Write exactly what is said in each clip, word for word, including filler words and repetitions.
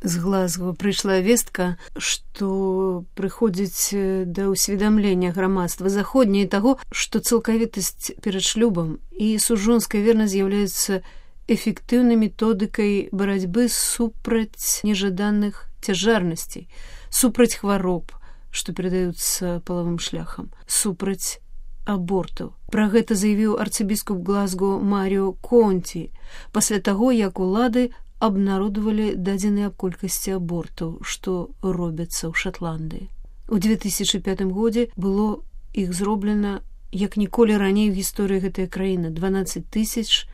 З Глазго прыйшла вестка, што прыходзіць да ўсведамлення грамадства заходняе таго, што цалкавітасць перад шлюбам і сужонская вернасць з'яўляецца эфектыўнай методыкай барацьбы супраць нежаданых цяжарнасцей, супраць хвароб, што перадаюцца палавым шляхам, супраць абортаў. Пра гэта заявіў арцыбіскуп Глазго Маріо Конті пасля таго, як улады абнародавалі дадзеныя аб колькасці абортаў, што робяцца ў Шатландыі. У две тысячы пятым годзе было іх зроблена як ніколі раней у гісторыі гэтай краіны дванаццаць тысяч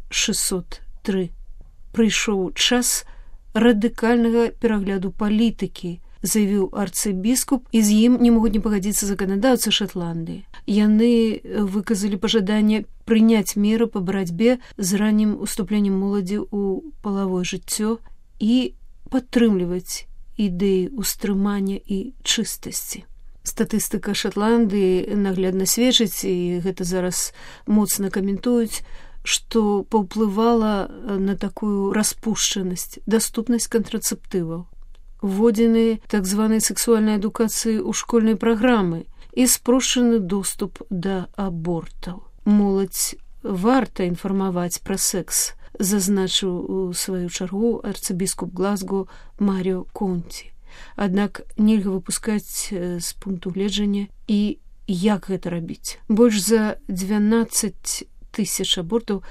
шэсцьсот тры. Прыйшоў час радыкальнага перагляду палітыкі, заявіў арцыбіскуп, і з ім не могуць не пагадзіцца заканадаўцы Шатландыі. Яны выказалі пажаданне прыняць меры па барацьбе з раннім уступленнем моладзі ў палавое жыццё і падтрымліваць ідэі ўстрымання і чыстасці. Статыстыка Шатландыі наглядна сведчыць, і гэта зараз моцна каментуюць, што паўплывала на такую распушчанасць, даступнасць кантрацэптываў, вводзены так званай сексуальнай адукацыі ў школьнай праграмы і спрошчаны доступ да абортаў. Моладзь варта інфармаваць пра секс, зазначыў у сваю чаргу арцыбіскуп Глазго Маріо Конті. Аднак нельга выпускаць з пункту гледжання і як гэта рабіць. Больш за дванаццаць тысяч абортаў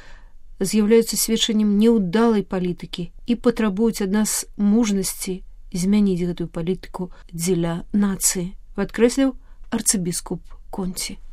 з'яўляюцца сведчаннем няўдалай палітыкі і патрабуюць ад нас мужнасці змяніць гэтую палітыку дзеля нацыі, падкрэсліў арцыбіскуп Конті.